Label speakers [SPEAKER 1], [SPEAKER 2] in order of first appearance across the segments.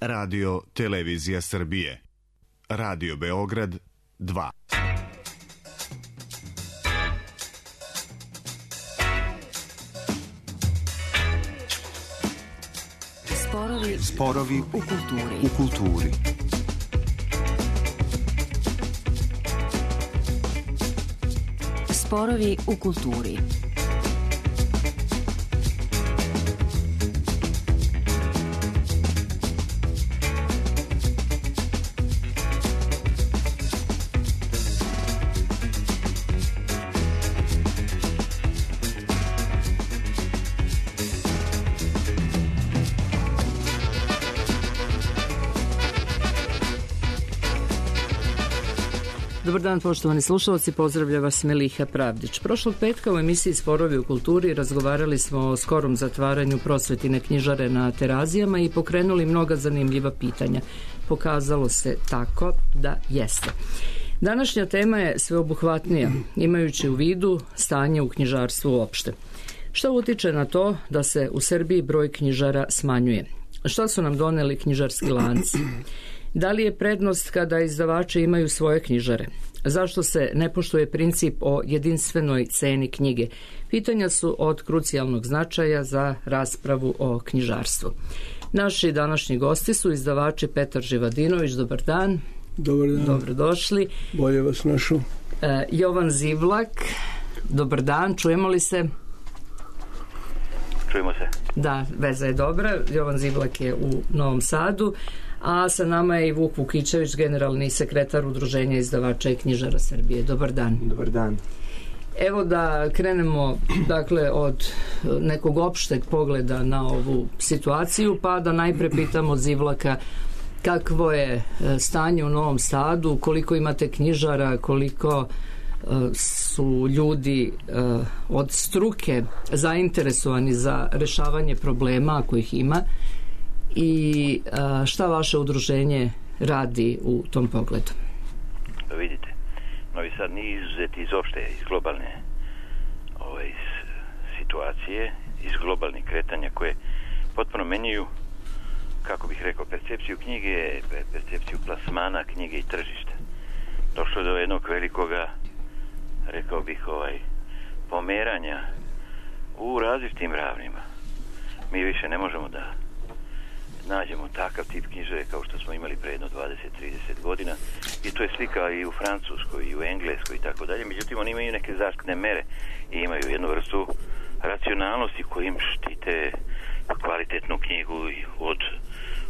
[SPEAKER 1] Radio Televizija Srbije. Radio Beograd 2.
[SPEAKER 2] Sporovi u kulturi.
[SPEAKER 3] Sporovi u kulturi. Dobar dan, poštovani slušalci, pozdravlja vas Meliha Pravdić. Prošlog petka u emisiji Sporovi u kulturi razgovarali smo o skorom zatvaranju prosvetine knjižare na Terazijama i pokrenuli mnoga zanimljiva pitanja. Pokazalo se tako da jeste. Današnja tema je sveobuhvatnija, imajući u vidu stanje u knjižarstvu uopšte. Što utiče na to da se u Srbiji broj knjižara smanjuje? Šta su nam doneli knjižarski lanci? Da li je prednost kada izdavači imaju svoje knjižare? Zašto se ne poštuje princip o jedinstvenoj ceni knjige? Pitanja su od krucijalnog značaja za raspravu o knjižarstvu. Naši današnji gosti su izdavači Petar Živadinović, dobar dan.
[SPEAKER 4] Dobar dan.
[SPEAKER 3] Dobrodošli.
[SPEAKER 4] Bolje vas našao.
[SPEAKER 3] Jovan Zivlak, dobar dan, čujemo li se?
[SPEAKER 5] Čujemo se.
[SPEAKER 3] Da, veza je dobra. Jovan Zivlak je u Novom Sadu, a sa nama je i Vuk Vukićević, generalni sekretar Udruženja izdavača i knjižara Srbije. Dobar dan.
[SPEAKER 2] Dobar dan.
[SPEAKER 3] Evo da krenemo dakle od nekog opšteg pogleda na ovu situaciju, pa da najpre pitamo Zivlaka kakvo je stanje u Novom Sadu, koliko imate knjižara, koliko su ljudi od struke zainteresovani za rešavanje problema ako ih ima i šta vaše udruženje radi u tom pogledu?
[SPEAKER 5] Vidite, Novi Sad nije izuzet iz opšte, iz globalne situacije, iz globalnih kretanja koje potpuno menjaju, kako bih rekao, percepciju knjige, percepciju plasmana knjige i tržišta. Došlo do jednog velikoga, rekao bih, pomeranja u različitim ravnima. Mi više ne možemo da nađemo takav tip knjižare kao što smo imali pre jedno 20-30 godina i to je slika i u Francuskoj i u Engleskoj i tako dalje. Međutim, oni imaju neke zaštitne mere i imaju jednu vrstu racionalnosti kojim štite kvalitetnu knjigu od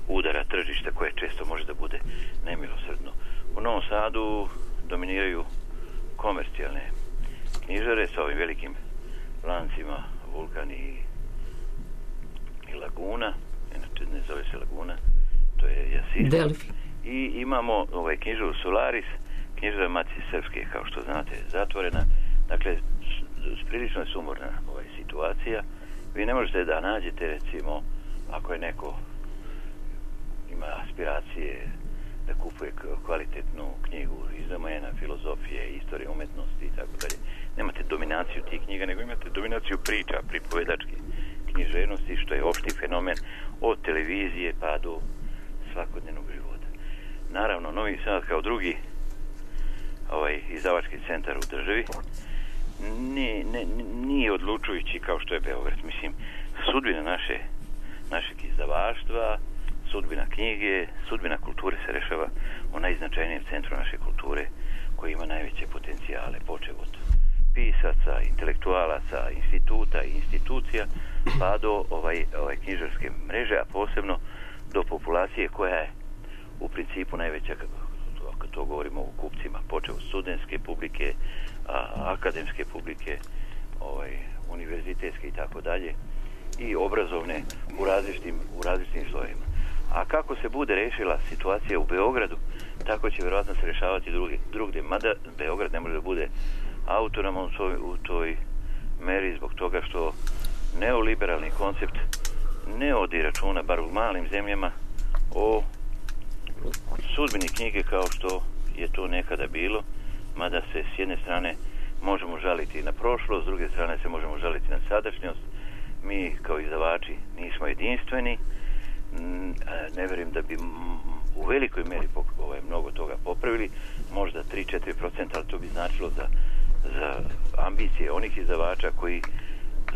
[SPEAKER 5] udara tržišta koje često može da bude nemilosrdno. U Novom Sadu dominiraju komercijalne knjižare sa ovim velikim lancima Vulkan i Laguna, inače ne zove se Laguna, to je Jasina.
[SPEAKER 3] Delfi.
[SPEAKER 5] I imamo knjižaru Solaris, knjižara Matice Srpske, kao što znate, zatvorena. Dakle, prilično je sumorna situacija. Vi ne možete da nađete, recimo, ako je neko ima aspiracije da kupuje kvalitetnu knjigu iz domena filozofije, istorije umetnosti i tako dalje. Nemate dominaciju tih knjiga, nego imate dominaciju priča, pripovedačke književnosti, što je opšti fenomen od televizije pa do svakodnevnog života. Naravno, Novi Sad kao drugi izdavački centar u državi nije odlučujući kao što je Beograd. Mislim, sudbina našeg izdavaštva, sudbina knjige, sudbina kulture se rešava u najznačajnijem centru naše kulture koji ima najveće potencijale, počev od pisaca, intelektualaca, instituta i institucija, pa do knjižarske mreže, a posebno do populacije koja je u principu najveća, kad to govorimo o kupcima, počev od studentske publike, akademske publike, univerzitetske i tako dalje, i obrazovne u različitim slojima. A kako se bude rešila situacija u Beogradu, tako će vjerojatno se rešavati drugdje. Mada Beograd ne može da bude autonoman u toj meri zbog toga što neoliberalni koncept ne odi računa, bar u malim zemljama, o sudbini knjige kao što je to nekada bilo, mada se s jedne strane možemo žaliti na prošlost, s druge strane se možemo žaliti na sadašnjost. Mi kao izdavači nismo jedinstveni, ne vjerujem da bi u velikoj meri mnogo toga popravili, možda 3-4%, ali to bi značilo za ambicije onih izdavača koji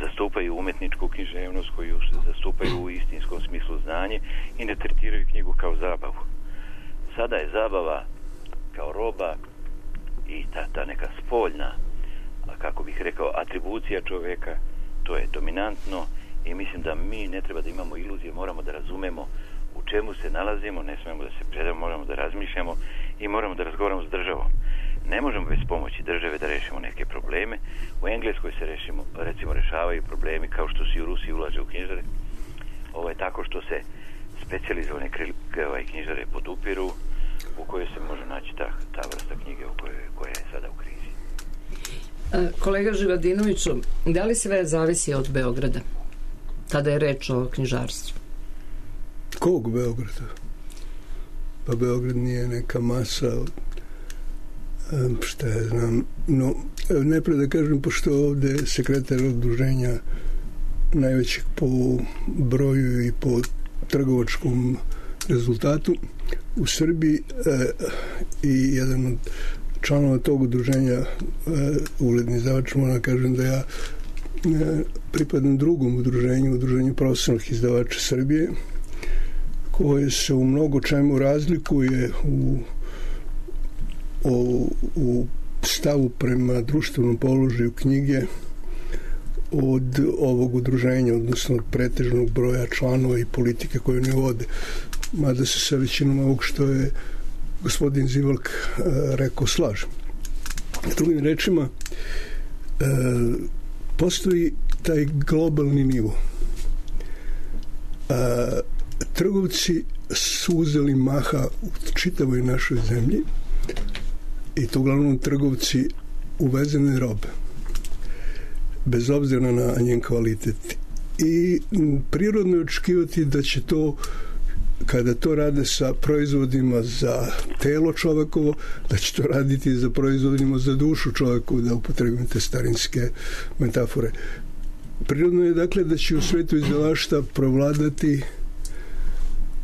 [SPEAKER 5] zastupaju umetničku književnost, koji zastupaju u istinskom smislu znanje i ne tretiraju knjigu kao zabavu. Sada je zabava kao roba i ta neka spoljna, kako bih rekao, atribucija čovjeka, to je dominantno i mislim da mi ne treba da imamo iluzije, moramo da razumemo u čemu se nalazimo, ne smijemo da se predamo, moramo da razmišljamo i moramo da razgovaramo s državom. Ne možemo bez pomoći države da rešimo neke probleme. U Engleskoj se recimo rešavaju problemi kao što se u Rusiji ulaže u knjižare, tako što se specijalizovane knjižare podupiru, u kojoj se može naći ta vrsta knjige koja je sada u krizi.
[SPEAKER 3] Kolega Živadinoviću, da li sve zavisi od Beograda kada je reč o knjižarstvu?
[SPEAKER 4] Kog Beograda? Pa Beograd nije neka masa, šta ja znam, no najprije da kažem, pošto ovde sekretar udruženja najvećeg po broju i po trgovačkom rezultatu u Srbiji i jedan od članova tog udruženja, ugledni izdavač, moram kažem da ja pripadam drugom udruženju profesionalnih izdavača Srbije, koje se u mnogo čemu razlikuje u stavu prema društvenom položaju knjige od ovog udruženja, odnosno od pretežnog broja članova i politike koje ne vode. Mada se sa većinom ovog što je gospodin Zivalk rekao slažem. Drugim rečima, postoji taj globalni nivo. Trgovci su uzeli maha u čitavoj našoj zemlji i to uglavnom trgovci uvezene robe, bez obzira na njen kvalitet. I prirodno je očekivati da će to, kada to rade sa proizvodima za telo čovekovo, da će to raditi za proizvodima za dušu čovekovu, da upotrebim te starinske metafore. Prirodno je dakle da će u svetu izdavaštva provladati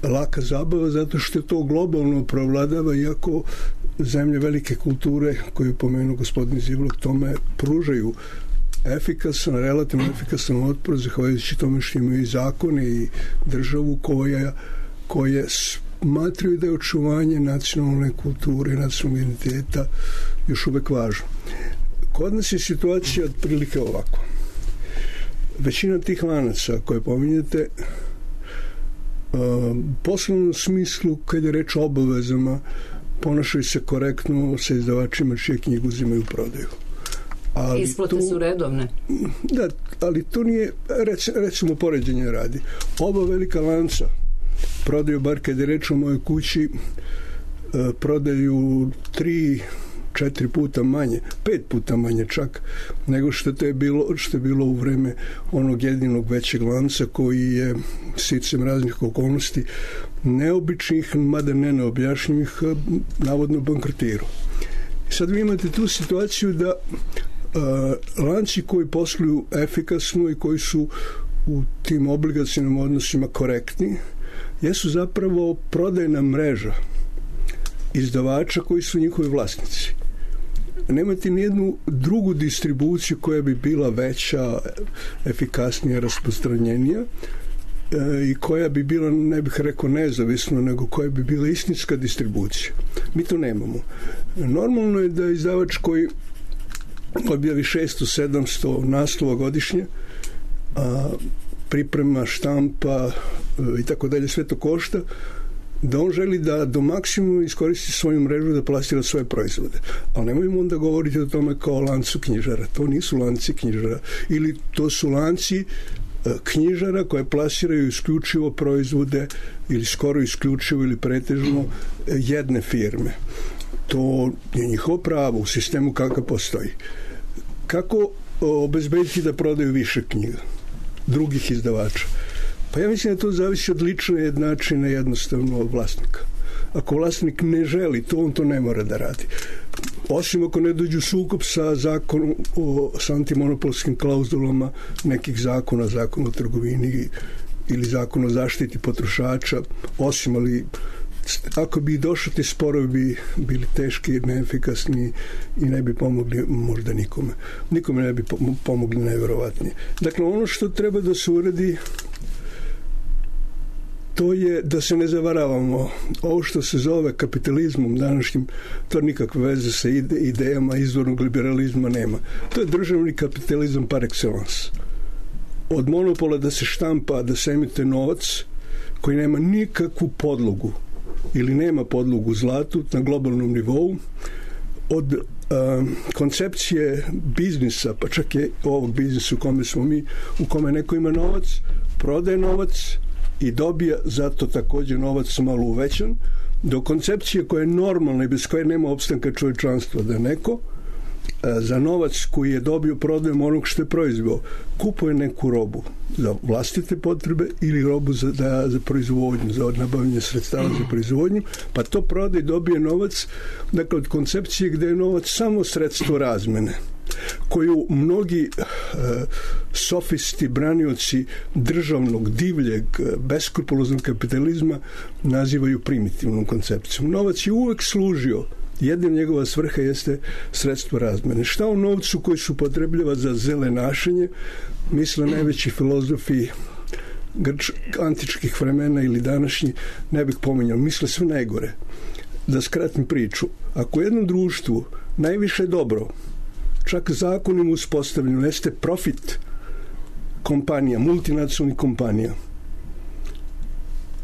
[SPEAKER 4] laka zabava, zato što to globalno provladava, iako zemlje velike kulture, koju pomenu gospodin Zivlak, tome pružaju relativno efikasan otpor, zahvaljujući tome što imaju i zakone i državu koje smatraju da je očuvanje nacionalne kulture i nacionalnog identiteta još uvek važno. Kod nas je situacija otprilike ovako. Većina tih lanaca koje pominjete, u poslovnom smislu, kad je reč o obavezama, ponašaju se korektno sa izdavačima čije knjigu uzimaju u prodaju.
[SPEAKER 3] Isplate su redovne.
[SPEAKER 4] Da, ali to nije, recimo, poređenje radi. Oba velika lanca prodaju, bar kad je reč o mojoj kući, prodaju 3-4 puta manje, 5 puta manje čak, nego što je bilo u vreme onog jedinog većeg lanca koji je sticem raznih okolnosti neobičnih, mada ne neobjašnjivih, navodno bankrotirao. Sad vi imate tu situaciju da lanci koji posluju efikasno i koji su u tim obligacijnim odnosima korektni, jesu zapravo prodajna mreža izdavača koji su njihovi vlasnici. Nemate nijednu drugu distribuciju koja bi bila veća, efikasnija, rasprostranjenija i koja bi bila, ne bih rekao nezavisno, nego koja bi bila istinska distribucija. Mi to nemamo. Normalno je da izdavač koji objavi 600-700 naslova godišnje, priprema, štampa i tako dalje, sve to košta, da on želi da do maksimuma iskoristi svoju mrežu da plasira svoje proizvode. Ali nemojmo onda govoriti o tome kao lancu knjižara. To nisu lanci knjižara. Ili to su lanci knjižara koje plasiraju isključivo proizvode ili skoro isključivo ili pretežno jedne firme. To je njihovo pravo u sistemu kakav postoji. Kako obezbediti da prodaju više knjiga drugih izdavača? Pa ja mislim da to zavisi od lične jednačine, jednostavno od vlasnika. Ako vlasnik ne želi to, on to ne mora da radi. Osim ako ne dođu sukob sa zakonom, sa antimonopolskim klauzulama nekih zakona, zakon o trgovini ili zakon o zaštiti potrošača, osim, ali ako bi došli ti sporovi bi bili teški, neefikasni i ne bi pomogli možda nikome. Nikome ne bi pomogli najverovatnije. Dakle, ono što treba da se uradi, to je da se ne zavaravamo. Ovo što se zove kapitalizmom današnjim, to nikakve veze sa idejama izvornog liberalizma nema. To je državni kapitalizam par excellence. Od monopola da se štampa, da se emituje novac koji nema nikakvu podlogu ili nema podlogu u zlatu na globalnom nivou, od koncepcije biznisa, pa čak je ovog biznisa u kome smo mi, u kome neko ima novac, prodaje novac i dobija zato također novac malo uvećan, do koncepcije koja je normalna i bez koje nema opstanka čovječanstva, da neko za novac koji je dobio prodajem onog što je proizveo kupuje neku robu za vlastite potrebe ili robu za proizvodnju, za nabavljanje sredstava za proizvodnju, pa to prodaje i dobije novac, dakle od koncepcije gdje je novac samo sredstvo razmene, koju mnogi sofisti, branioci državnog, divljeg, beskrupuloznog kapitalizma nazivaju primitivnom koncepcijom. Novac je uvek služio, jedna njegova svrha jeste sredstvo razmene. Šta o novcu koji se upotrebljava za zelenašenje misle najveći filozofi antičkih vremena ili današnji, ne bih pominjao, misle sve najgore. Da skratim priču, ako u jednom društvu najviše dobro, čak zakonom uspostavljeno, jeste profit kompanija, multinacionalnih kompanija,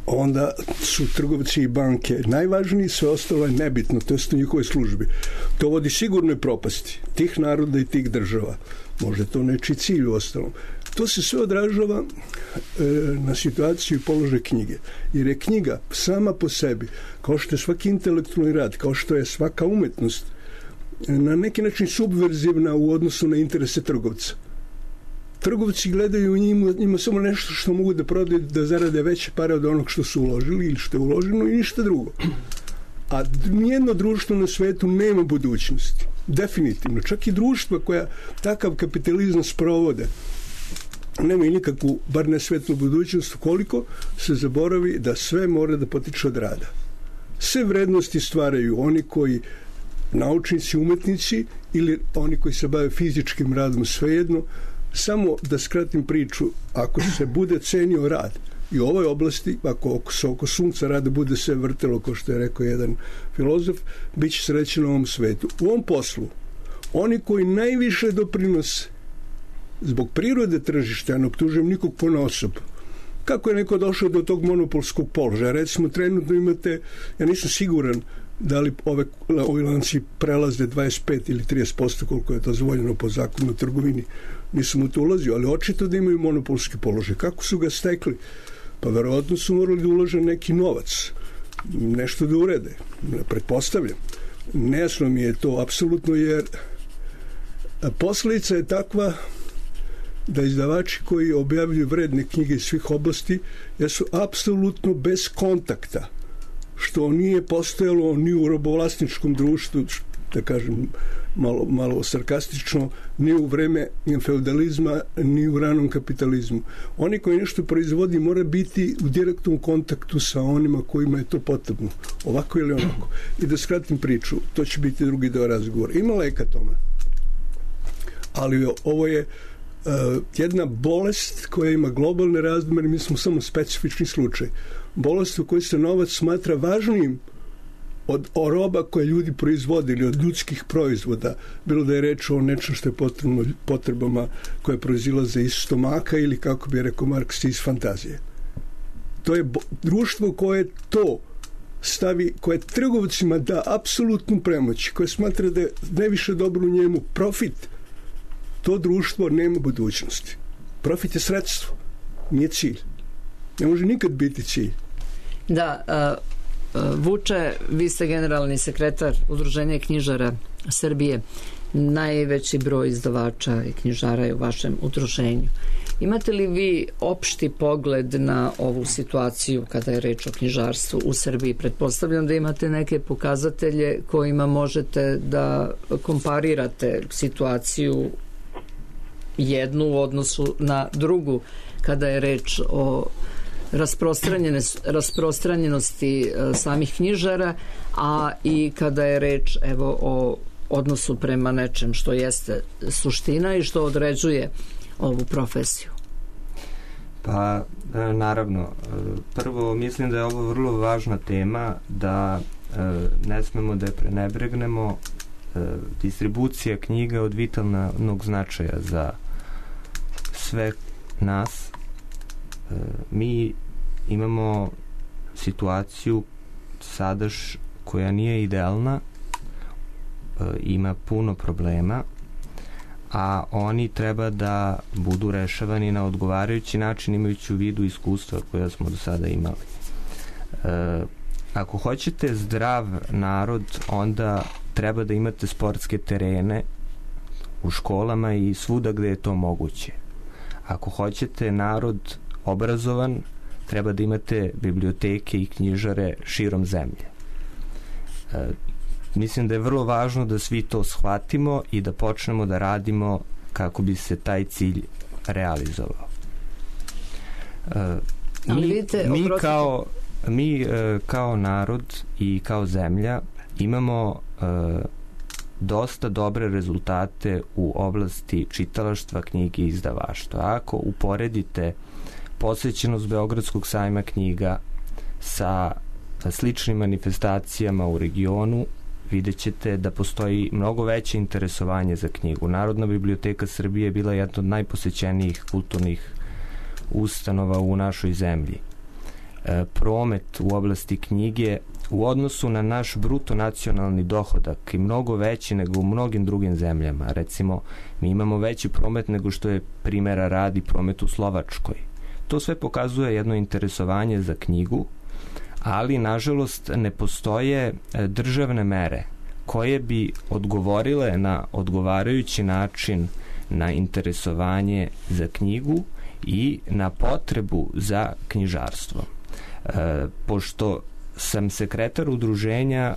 [SPEAKER 4] onda su trgovci i banke najvažniji, sve ostalo je nebitno, to je u njihovoj službi. To vodi sigurnoj propasti tih naroda i tih država. Možda to nečiji cilj u ostalom. To se sve odražava na situaciju i položaj knjige. Jer je knjiga sama po sebi, kao što je svaki intelektualni rad, kao što je svaka umetnost, na neki način subverzivna u odnosu na interese trgovca. Trgovci gledaju u njima samo nešto što mogu da prodaju, da zarade veće pare od onog što su uložili ili što je uloženo i ništa drugo. A nijedno društvo na svetu nema budućnosti. Definitivno. Čak i društva koja takav kapitalizam sprovode nema i nikakvu, bar ne svetlu budućnost, koliko se zaboravi da sve mora da potiče od rada. Sve vrednosti stvaraju oni koji naučnici, umetnici ili oni koji se bave fizičkim radom, svejedno. Samo da skratim priču, ako se bude cenio rad i u ovoj oblasti, ako se oko sunca rada bude sve vrtelo, kao što je rekao jedan filozof, bit će srećen na ovom svetu. U ovom poslu, oni koji najviše doprinose zbog prirode tržišta, ja ne optužujem nikog ponaosob, kako je neko došao do tog monopolskog položaja. Recimo, trenutno imate, ja nisam siguran da li ovi lanci prelaze 25 ili 30%, koliko je to dozvoljeno po zakonu o trgovini. Nisam u to ulazio, ali očito da imaju monopolski položaj. Kako su ga stekli? Pa verovatno su morali da ulože neki novac, nešto da urede. Pretpostavljam. Nejasno mi je to apsolutno, jer posljedica je takva da izdavači koji objavljuju vredne knjige iz svih oblasti jesu apsolutno bez kontakta, što nije postojalo ni u robovlasničkom društvu, da kažem malo sarkastično, ni u vreme feudalizma, ni u ranom kapitalizmu. Oni koji nešto proizvodi mora biti u direktnom kontaktu sa onima kojima je to potrebno, ovako ili onako. I da skratim priču, to će biti drugi deo razgovora. Ima leka tome, ali ovo je jedna bolest koja ima globalne razmere, mi smo samo specifični slučaj. Bolest u kojoj se novac smatra važnijim od roba koje ljudi proizvodili, od ljudskih proizvoda, bilo da je reč o nečem što je potrebno potrebama koje proizilaze iz stomaka ili, kako bi rekao Marks, iz fantazije. To je društvo koje to stavi, koje trgovcima da apsolutnu premoć, koje smatra da je najviše dobro u njemu profit, to društvo nema budućnosti. Profit je sredstvo, nije cilj. Ne može nikad biti cilj.
[SPEAKER 3] Da, Vuče, vi ste generalni sekretar Udruženja knjižara Srbije. Najveći broj izdavača i knjižara je u vašem udruženju. Imate li vi opšti pogled na ovu situaciju kada je reč o knjižarstvu u Srbiji? Pretpostavljam da imate neke pokazatelje kojima možete da komparirate situaciju jednu u odnosu na drugu kada je reč o rasprostranjenosti samih knjižara, a i kada je reč o odnosu prema nečem što jeste suština i što određuje ovu profesiju?
[SPEAKER 6] Pa, naravno. Prvo, mislim da je ovo vrlo važna tema, da ne smemo da je prenebregnemo. Distribucija knjiga od vitalnog značaja za sve nas. Mi imamo situaciju sadaš koja nije idealna, ima puno problema, a oni treba da budu rešavani na odgovarajući način, imajući u vidu iskustva koja smo do sada imali. Ako hoćete zdrav narod, onda treba da imate sportske terene u školama i svuda gde je to moguće. Ako hoćete narod obrazovan, treba da imate biblioteke i knjižare širom zemlje. Mislim da je vrlo važno da svi to shvatimo i da počnemo da radimo kako bi se taj cilj realizovao. Mi kao narod i kao zemlja imamo dosta dobre rezultate u oblasti čitalaštva, knjige i izdavaštva. Ako uporedite posvećenost Beogradskog sajma knjiga sa sličnim manifestacijama u regionu, vidjet ćete da postoji mnogo veće interesovanje za knjigu. Narodna biblioteka Srbije je bila jedna od najposećenijih kulturnih ustanova u našoj zemlji. Promet u oblasti knjige u odnosu na naš bruto nacionalni dohodak je mnogo veći nego u mnogim drugim zemljama. Recimo, mi imamo veći promet nego što je, primjera radi, promet u Slovačkoj. To sve pokazuje jedno interesovanje za knjigu, ali nažalost ne postoje državne mere koje bi odgovorile na odgovarajući način na interesovanje za knjigu i na potrebu za knjižarstvo. Pošto sam sekretar udruženja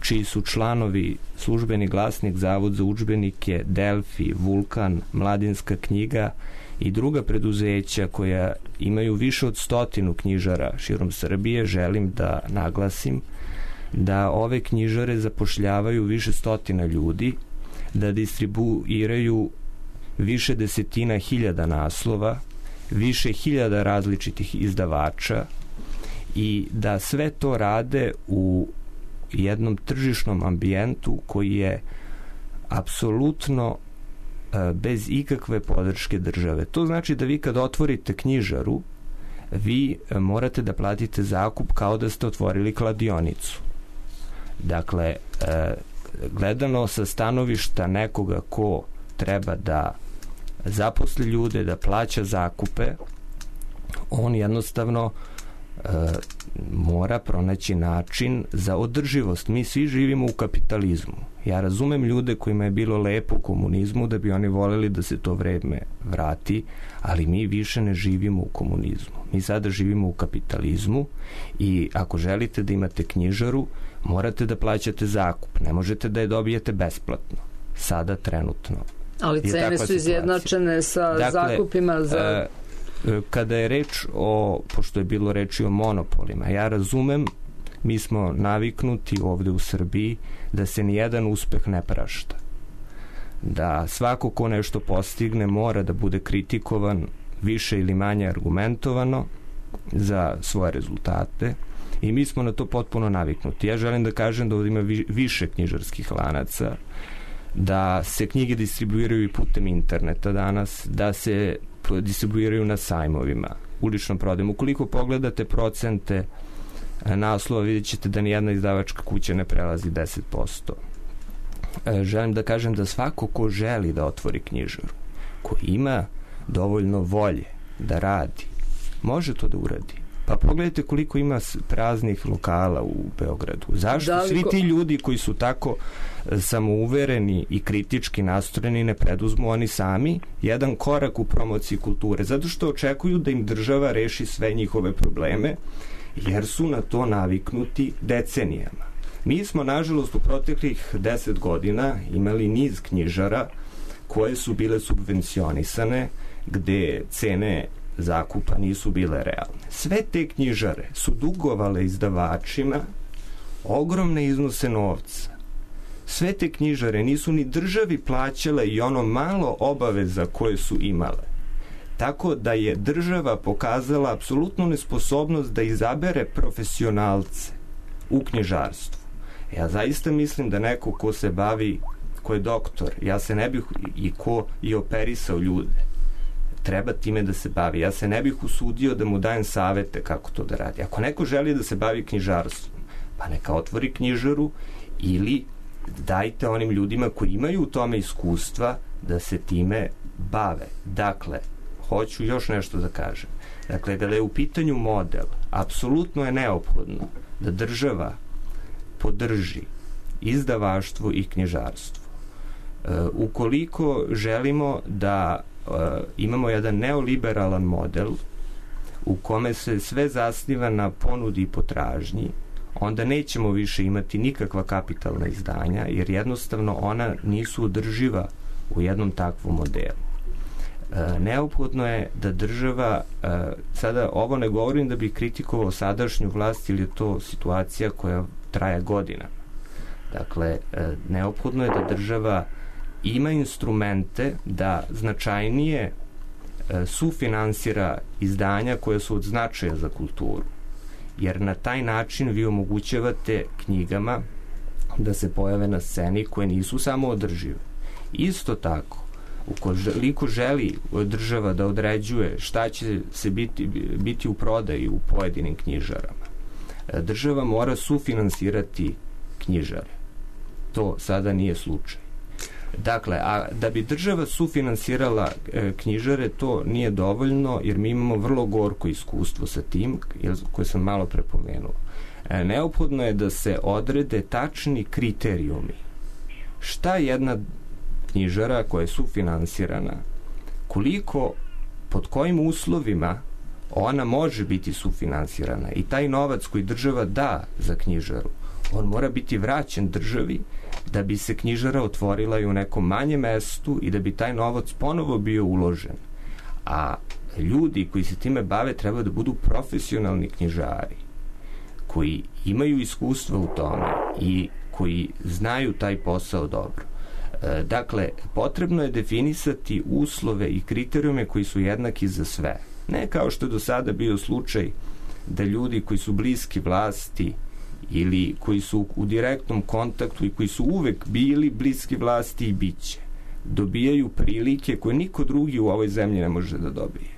[SPEAKER 6] čiji su članovi Službeni glasnik, Zavod za udžbenike, Delfi, Vulkan, Mladinska knjiga i druga preduzeća koja imaju više od 100 knjižara širom Srbije, želim da naglasim da ove knjižare zapošljavaju više stotina ljudi, da distribuiraju više desetina hiljada naslova, više hiljada različitih izdavača i da sve to rade u jednom tržišnom ambijentu koji je apsolutno bez ikakve podrške države. To znači da vi kad otvorite knjižaru, vi morate da platite zakup kao da ste otvorili kladionicu. Dakle, gledano sa stanovišta nekoga ko treba da zaposli ljude, da plaća zakupe, on jednostavno mora pronaći način za održivost. Mi svi živimo u kapitalizmu. Ja razumem ljude kojima je bilo lepo u komunizmu, da bi oni voljeli da se to vreme vrati, ali mi više ne živimo u komunizmu. Mi sada živimo u kapitalizmu i ako želite da imate knjižaru, morate da plaćate zakup. Ne možete da je dobijete besplatno. Sada trenutno.
[SPEAKER 3] Ali cene su izjednačene sa zakupima za...
[SPEAKER 6] Kada je reč o, pošto je bilo reči o monopolima, ja razumem, mi smo naviknuti ovde u Srbiji da se nijedan uspeh ne prašta. Da svako ko nešto postigne mora da bude kritikovan više ili manje argumentovano za svoje rezultate i mi smo na to potpuno naviknuti. Ja želim da kažem da ovdje ima više knjižarskih lanaca, da se knjige distribuiraju i putem interneta danas, da se distribuiraju na sajmovima, uličnom prodajom. Ukoliko pogledate procente naslova, vidjet ćete da nijedna izdavačka kuća ne prelazi 10%. Želim da kažem da svako ko želi da otvori knjižaru, ko ima dovoljno volje da radi, može to da uradi. Pa pogledajte koliko ima praznih lokala u Beogradu. Zašto svi ti ljudi koji su tako samouvereni i kritički nastrojeni ne preduzmu oni sami jedan korak u promociji kulture? Zato što očekuju da im država reši sve njihove probleme, jer su na to naviknuti decenijama. Mi smo, nažalost, u proteklih 10 godina imali niz knjižara koje su bile subvencionisane, gde cene zakupa nisu bile realne. Sve te knjižare su dugovale izdavačima ogromne iznose novca. Sve te knjižare nisu ni državi plaćale i ono malo obaveza koje su imale. Tako da je država pokazala apsolutnu nesposobnost da izabere profesionalce u knjižarstvu. Ja zaista mislim da neko ko se bavi, ko je doktor, ja se ne bih, i ko je operisao ljude, treba time da se bavi. Ja se ne bih usudio da mu dajem savete kako to da radi. Ako neko želi da se bavi knjižarstvom, pa neka otvori knjižaru ili dajte onim ljudima koji imaju u tome iskustva da se time bave. Dakle, hoću još nešto da kažem. Dakle, kada je u pitanju model, apsolutno je neophodno da država podrži izdavaštvo i knjižarstvo. Ukoliko želimo da imamo jedan neoliberalan model u kome se sve zasniva na ponudi i potražnji, onda nećemo više imati nikakva kapitalna izdanja, jer jednostavno ona nisu održiva u jednom takvom modelu. Neophodno je da država, sada ovo ne govorim da bi kritikovao sadašnju vlast, ili je to situacija koja traje godinama. Dakle, neophodno je da država ima instrumente da značajnije sufinansira izdanja koja su od značaja za kulturu. Jer na taj način vi omogućavate knjigama da se pojave na sceni koje nisu samo održive. Isto tako, ukoliko želi država da određuje šta će se biti u prodaji u pojedinim knjižarama, država mora sufinansirati knjižare. To sada nije slučaj. Dakle, a da bi država sufinansirala knjižare, to nije dovoljno, jer mi imamo vrlo gorko iskustvo sa tim, koje sam malo prepomenuo. Neophodno je da se odrede tačni kriterijumi. Šta jedna knjižara koja je sufinansirana, koliko, pod kojim uslovima ona može biti sufinansirana, i taj novac koji država da za knjižaru, on mora biti vraćen državi da bi se knjižara otvorila i u nekom manjem mestu i da bi taj novac ponovo bio uložen. A ljudi koji se time bave treba da budu profesionalni knjižari, koji imaju iskustva u tome i koji znaju taj posao dobro. Dakle, potrebno je definisati uslove i kriterijume koji su jednaki za sve. Ne kao što je do sada bio slučaj da ljudi koji su bliski vlasti ili koji su u direktnom kontaktu i koji su uvek bili bliski vlasti i biće, dobijaju prilike koje niko drugi u ovoj zemlji ne može da dobije.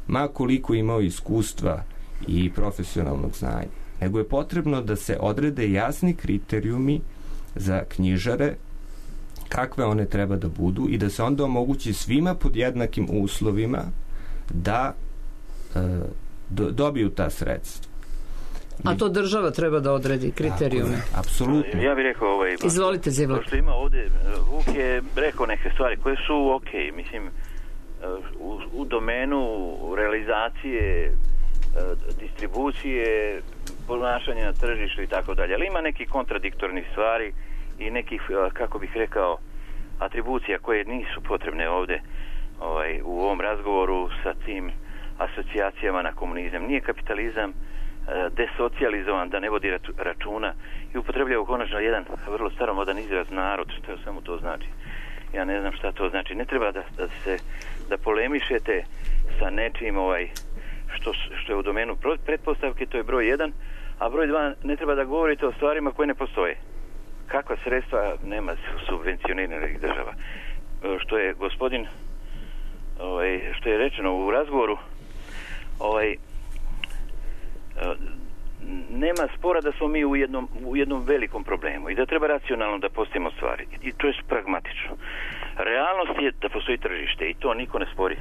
[SPEAKER 6] Ma koliko imao iskustva i profesionalnog znanja. Nego je potrebno da se odrede jasni kriterijumi za knjižare, kakve one treba da budu, i da se onda omogući svima pod jednakim uslovima da dobiju ta sredstva.
[SPEAKER 3] A to država treba da odredi kriterijume.
[SPEAKER 6] Apsolutno.
[SPEAKER 5] Ja bih rekao
[SPEAKER 3] Izvolite, Zivlak.
[SPEAKER 5] Što ima ovde, Vuk je rekao neke stvari koje su okej, mislim, u domenu realizacije, distribucije, ponašanja na tržištu i tako dalje. Ali ima neki kontradiktornih stvari i nekih, kako bih rekao, atribucija koje nisu potrebne ovde u ovom razgovoru sa tim asocijacijama na komunizam. Nije kapitalizam desocijalizovan, da ne vodi računa i upotrebljava konačno jedan vrlo staromodan izraz narod, što samo to znači. Ja ne znam šta to znači. Ne treba da polemišete sa nečim što je u domenu pretpostavke, to je broj 1, a broj 2, ne treba da govorite o stvarima koje ne postoje. Kakva sredstva nema subvencioniranih država. Što je gospodin što je rečeno u razgovoru, nema spora da smo mi u jednom velikom problemu i da treba racionalno da postavimo stvari. I to je pragmatično. Realnost je da postoji tržište i to niko ne spori.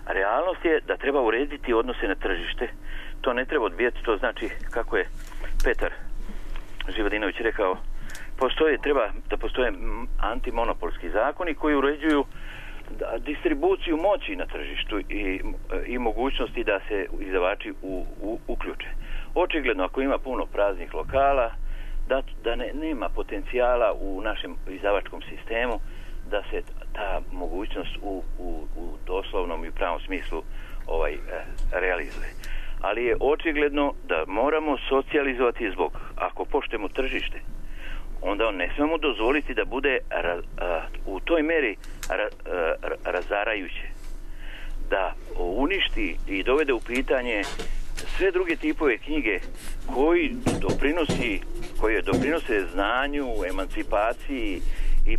[SPEAKER 5] Realnost je da treba urediti odnose na tržište. To ne treba odbijati, to znači, kako je Petar Živodinović rekao, treba da postoje antimonopolski zakoni koji uređuju distribuciju moći na tržištu i mogućnosti da se izdavači uključe. Očigledno, ako ima puno praznih lokala, da nema potencijala u našem izdavačkom sistemu da se ta mogućnost u doslovnom i pravom smislu realizuje. Ali je očigledno da moramo socijalizovati zbog. Ako poštujemo tržište, onda ne smemo dozvoliti da bude u toj meri razarajuće, da uništi i dovede u pitanje sve druge tipove knjige koji doprinose znanju, emancipaciji i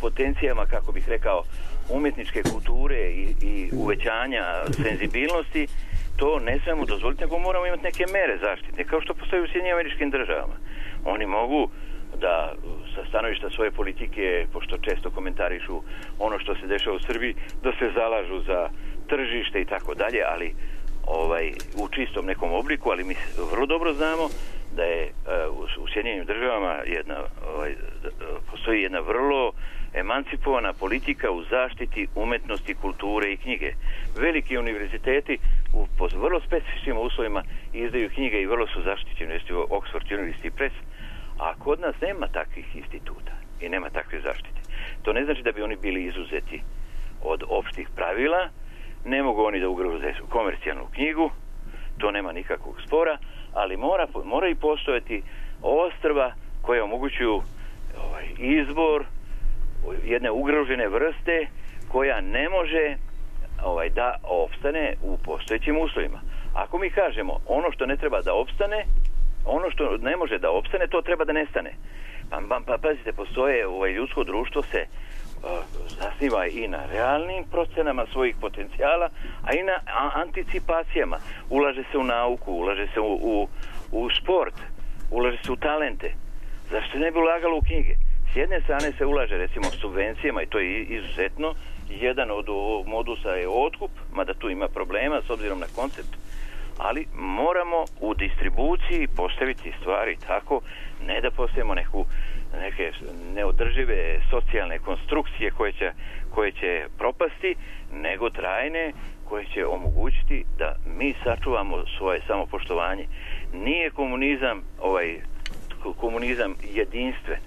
[SPEAKER 5] potencijama, kako bih rekao, umjetničke kulture i uvećanja senzibilnosti. To ne smemo dozvoliti, nego moramo imati neke mere zaštite, kao što postoji u SAD-u. Oni mogu da sa stanovišta svoje politike, pošto često komentarišu ono što se dešava u Srbiji, da se zalažu za tržište i tako dalje, ali u čistom nekom obliku, ali mi vrlo dobro znamo da je u Sjedinjenim državama postoji jedna vrlo emancipovana politika u zaštiti umetnosti, kulture i knjige. Veliki univerziteti po vrlo specifičnim uslovima izdaju knjige i vrlo su zaštićeni, Oxford University Press, a kod nas nema takvih instituta i nema takve zaštite. To ne znači da bi oni bili izuzeti od opštih pravila, ne mogu oni da ugroze komercijalnu knjigu, to nema nikakvog spora, ali mora i postojati ostrva koje omogućuju izbor jedne ugrožene vrste koja ne može da opstane u postojećim uslovima. Ako mi kažemo ono što ne treba da opstane, ono što ne može da opstane, to treba da nestane. Pa pazite, postoje, ljudsko društvo se zasniva i na realnim procenama svojih potencijala, a i na anticipacijama. Ulaže se u nauku, ulaže se u sport, ulaže se u talente. Zašto ne bi ulagalo u knjige? S jedne strane se ulaže recimo subvencijama i to je izuzetno. Jedan od modusa je otkup, mada tu ima problema s obzirom na koncept, ali moramo u distribuciji postaviti stvari tako, ne da postavimo neke neodržive socijalne konstrukcije koje će propasti, nego trajne koje će omogućiti da mi sačuvamo svoje samopoštovanje. Nije komunizam jedinstven.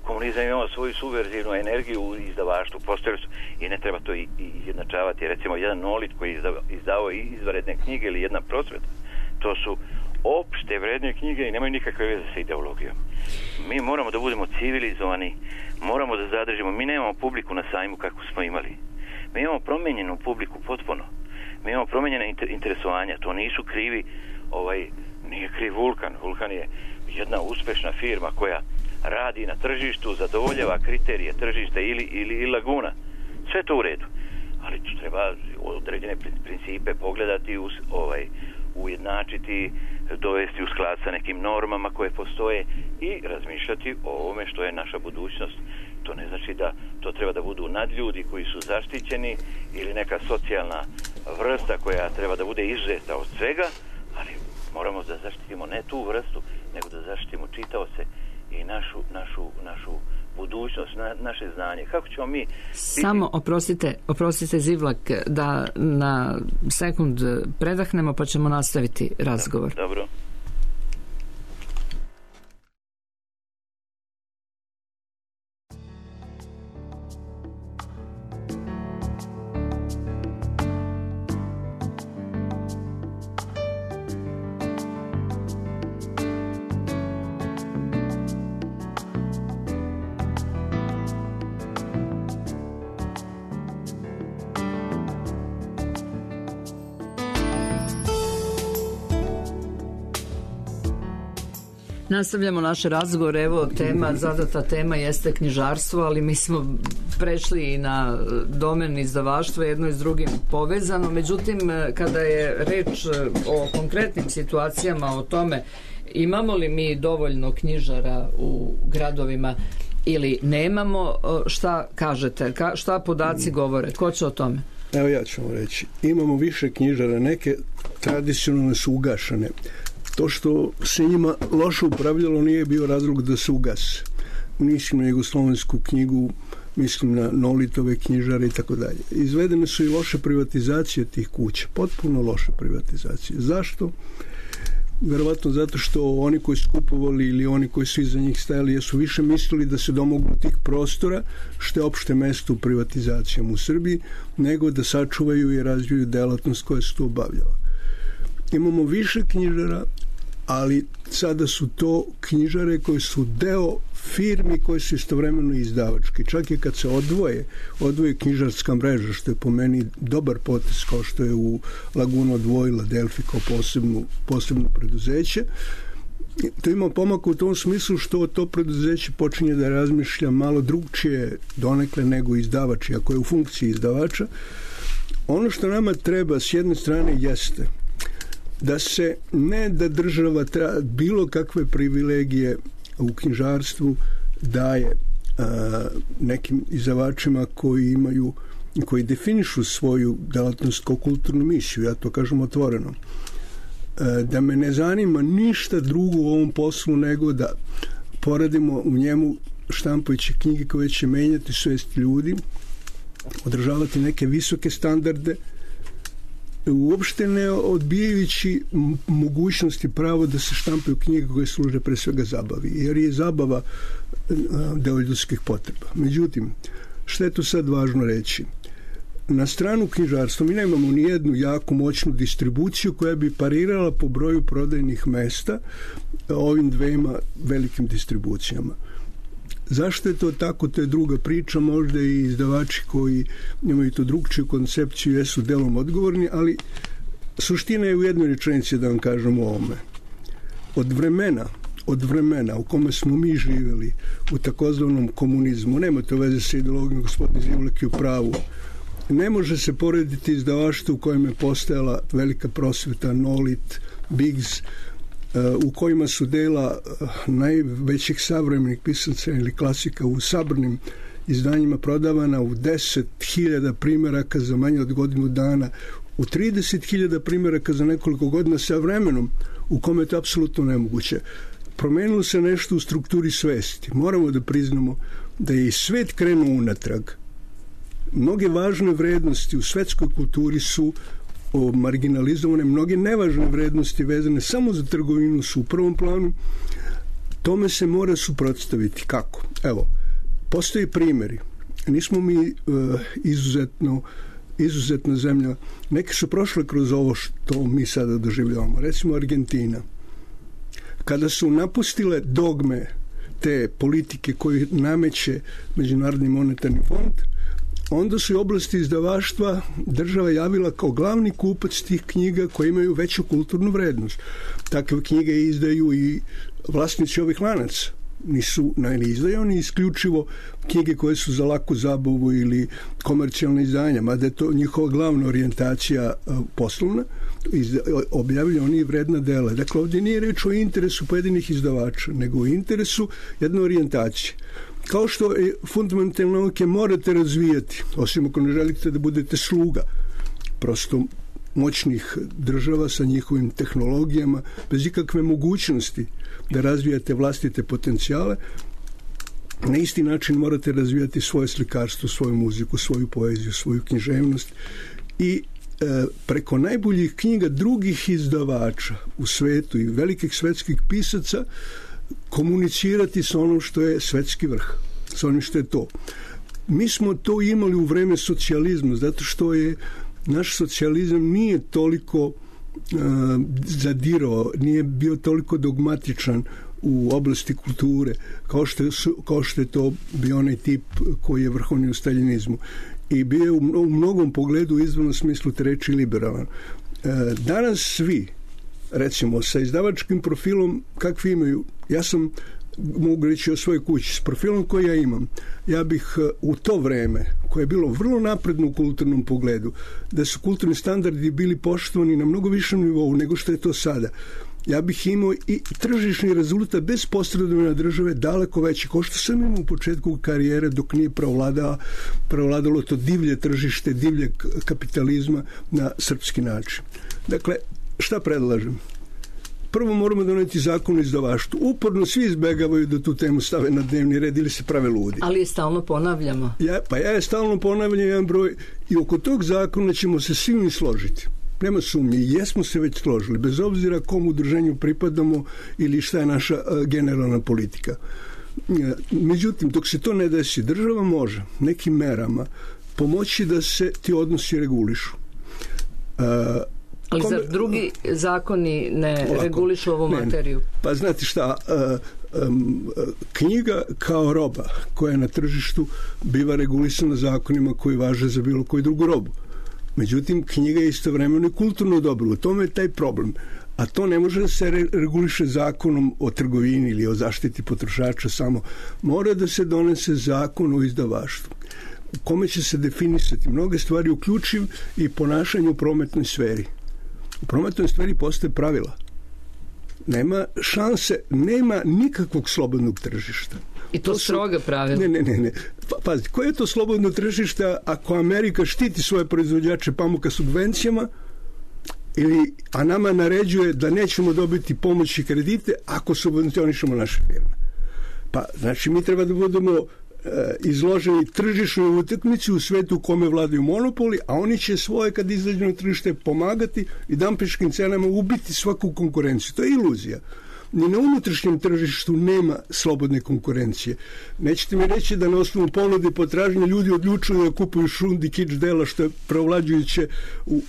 [SPEAKER 5] Komunizam imao svoju subverzivnu energiju u izdavaštvu, postojali su i ne treba to izjednačavati. Recimo, jedan Nolit koji je izdavao izvanredne knjige ili jedna Prosveta, to su opšte vredne knjige i nemaju nikakve veze sa ideologijom. Mi moramo da budemo civilizovani, moramo da zadržimo. Mi nemamo publiku na sajmu kako smo imali. Mi imamo promenjenu publiku potpuno. Mi imamo promenjene interesovanja. To nisu krivi, nije kriv Vulkan. Vulkan je jedna uspešna firma koja radi na tržištu, zadovoljava kriterije tržišta ili Laguna. Sve to u redu. Ali tu treba određene principe pogledati, ujednačiti, dovesti u sklad sa nekim normama koje postoje i razmišljati o ovome što je naša budućnost. To ne znači da to treba da budu nadljudi koji su zaštićeni ili neka socijalna vrsta koja treba da bude izuzeta od svega, ali moramo da zaštitimo ne tu vrstu, nego da zaštitimo čitaoce i našu budućnost, naše znanje. Kako ćemo mi...
[SPEAKER 3] Samo, oprostite Zivlak, da na sekund predahnemo pa ćemo nastaviti razgovor.
[SPEAKER 5] Dobro.
[SPEAKER 3] Nastavljamo naše razgovore, evo zadata tema jeste knjižarstvo, ali mi smo prešli i na domen izdavaštva, jedno je s drugim povezano, međutim kada je reč o konkretnim situacijama, o tome imamo li mi dovoljno knjižara u gradovima ili nemamo, šta kažete, šta podaci govore, ko će o tome?
[SPEAKER 4] Evo ja ću vam reći, imamo više knjižara, neke tradicionalne su ugašene. To što se njima loše upravljalo nije bio razlog da se ugase. Mislim na jugoslovensku knjigu, mislim na Nolitove knjižare i tako dalje. Izvedene su i loše privatizacije tih kuća, potpuno loše privatizacije. Zašto? verovatno zato što oni koji su kupovali ili oni koji su iza njih stajali su više mislili da se domognu tih prostora, što je opšte mesto u privatizacijama u Srbiji, nego da sačuvaju i razviju delatnost koja se tu obavljala. Imamo više knjižara, ali sada su to knjižare koje su deo firmi koje su istovremeno izdavački. Čak i kad se odvoje knjižarska mreža, što je po meni dobar potez, kao što je u Laguna odvojila Delfi kao posebno preduzeće. To ima pomak u tom smislu što to preduzeće počinje da razmišlja malo drugčije donekle nego izdavač, ako je u funkciji izdavača. Ono što nama treba s jedne strane jeste da se ne da država bilo kakve privilegije u knjižarstvu daje nekim izdavačima koji definišu svoju delatnost kao kulturnu misiju, ja to kažem otvoreno. Da me ne zanima ništa drugo u ovom poslu nego da poradimo u njemu štampajući knjige koje će menjati svest ljudi, održavati neke visoke standarde, uopšte ne odbijajući mogućnosti pravo da se štampaju knjige koje služe pre svega zabavi, jer je zabava deo ljudskih potreba. Međutim, što je to sad važno reći? Na stranu knjižarstva mi nemamo ni jednu jaku moćnu distribuciju koja bi parirala po broju prodajnih mesta ovim dvema velikim distribucijama. Zašto je to tako, to je druga priča, možda i izdavači koji imaju to drugčiju koncepciju jesu delom odgovorni, ali suština je u jednoj rečenici da vam kažem o ovome. Od vremena u kome smo mi živjeli u takozvanom komunizmu, nema to veze sa ideologijom, gospodin Zivlek je u pravu, ne može se porediti izdavaštvo u kojem je postojala velika prosveta, Nolit, Biggs, u kojima su dela najvećih savremenih pisaca ili klasika u sabrnim izdanjima prodavana u 10.000 primjeraka za manje od godinu dana, u 30.000 primjeraka za nekoliko godina, sa vremenom u kome je to apsolutno nemoguće. Promenilo se nešto u strukturi svesti. Moramo da priznamo da je i svet krenuo unatrag. Mnoge važne vrednosti u svetskoj kulturi su marginalizovane, mnoge nevažne vrednosti vezane samo za trgovinu su u prvom planu. Tome se mora suprotstaviti. Kako? Evo, postoji primjeri. Nismo mi izuzetna zemlja. Neke su prošle kroz ovo što mi sada doživljavamo. Recimo Argentina. Kada su napustile dogme te politike koje nameće Međunarodni monetarni fond, onda su i oblasti izdavaštva država javila kao glavni kupac tih knjiga koje imaju veću kulturnu vrednost. Takve knjige izdaju i vlasnici ovih lanaca. Ne izdaju oni isključivo knjige koje su za laku zabavu ili komercijalne izdanja, mada je to njihova glavna orijentacija poslovna, objavljaju oni vredna dela. Dakle, ovdje nije reč o interesu pojedinih izdavača, nego o interesu jedne orijentacije. Kao što fundamentalne nauke morate razvijati, osim ako ne želite da budete sluga prosto moćnih država sa njihovim tehnologijama, bez ikakve mogućnosti da razvijate vlastite potencijale, na isti način morate razvijati svoje slikarstvo, svoju muziku, svoju poeziju, svoju književnost i preko najboljih knjiga drugih izdavača u svetu i velikih svetskih pisaca komunicirati sa onom što je svetski vrh, sa onim što je to. Mi smo to imali u vreme socijalizma, zato što je naš socijalizam nije toliko zadirao, nije bio toliko dogmatičan u oblasti kulture, kao što je to bio onaj tip koji je vrhovni u staljinizmu. I bio je u mnogom pogledu u izvornom smislu te reči liberalan. Danas svi, recimo, sa izdavačkim profilom kakvi imaju, ja sam, mogu reći o svojoj kući, s profilom koji ja imam, ja bih u to vreme, koje je bilo vrlo napredno u kulturnom pogledu, da su kulturni standardi bili poštovani na mnogo višem nivou nego što je to sada, ja bih imao i tržišni rezultat bez posredovanja države daleko veći, kao što sam imao u početku karijere dok nije prevladalo to divlje tržište, divlje kapitalizma na srpski način. Dakle, šta predlažem? Prvo moramo doneti zakon o izdavaštvu. Uporno svi izbegavaju da tu temu stave na dnevni red ili se prave ludi.
[SPEAKER 3] Ali je stalno ponavljamo.
[SPEAKER 4] Ja je stalno ponavljam jedan broj i oko tog zakona ćemo se svi složiti. Nema sumnje, jesmo se već složili, bez obzira kom udruženju pripadamo ili šta je naša generalna politika. Međutim, dok se to ne desi, država može nekim merama pomoći da se ti odnosi regulišu.
[SPEAKER 3] Ali zar drugi zakoni ne regulišu ovu materiju?
[SPEAKER 4] Pa znate šta, knjiga kao roba koja je na tržištu biva regulisana zakonima koji važe za bilo koju drugu robu. Međutim, knjiga je istovremeno i kulturno dobro. U tome je taj problem. A to ne može da se reguliše zakonom o trgovini ili o zaštiti potrošača samo. Mora da se donese zakon o izdavaštvu, u kome će se definisati mnoge stvari, uključiv i ponašanje u prometnoj sferi. U prometnoj sferi postoje pravila. Nema šanse, nema nikakvog slobodnog tržišta.
[SPEAKER 3] I to stroga pravila.
[SPEAKER 4] Ne. Pazite, koje je to slobodno tržište ako Amerika štiti svoje proizvođače pamuka subvencijama, a nama naređuje da nećemo dobiti pomoć i kredite ako subvencionišemo naše firme? Pa, znači, mi treba da budemo izloženi tržišnoj utakmici u svetu u kome vladaju monopoli, a oni će svoje, kad izađu na tržište, pomagati i dampeškim cenama ubiti svaku konkurenciju. To je iluzija. Ni na unutrašnjem tržištu nema slobodne konkurencije. Nećete mi reći da na osnovu ponude i potražnje ljudi odlučuju da kupuju šundi, kič dela, što je preovlađujuće u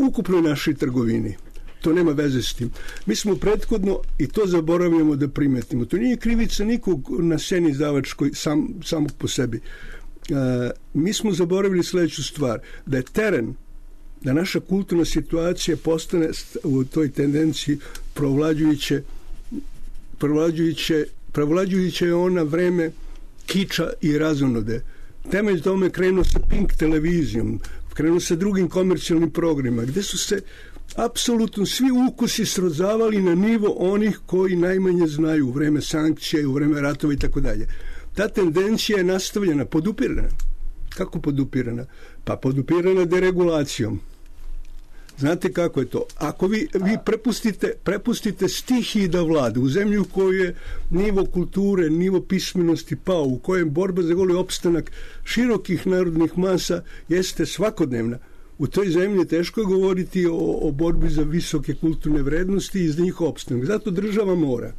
[SPEAKER 4] ukupnoj našoj trgovini. To nema veze s tim. Mi smo prethodno, i to zaboravljamo da primetimo, to nije krivica nikog na sceni izdavačkoj samog po sebi. Mi smo zaboravili sledeću stvar, da je teren, da naša kulturna situacija postane u toj tendenciji prevlađujuće je ona vreme kiča i razonode. Temelj tome krenuo sa Pink televizijom, krenuo sa drugim komercijalnim programima, gde su se apsolutno svi ukusi srozavali na nivo onih koji najmanje znaju u vreme sankcije, u vreme ratova i tako dalje. Ta tendencija je nastavljena, podupirana. Kako podupirana? Pa podupirana deregulacijom. Znate kako je to? Ako vi prepustite stihiji da vlade u zemlji u kojoj je nivo kulture, nivo pismenosti pao, u kojem borba za goli opstanak širokih narodnih masa jeste svakodnevna, u toj zemlji teško je govoriti o borbi za visoke kulturne vrednosti i za njih opstanak. Zato država mora.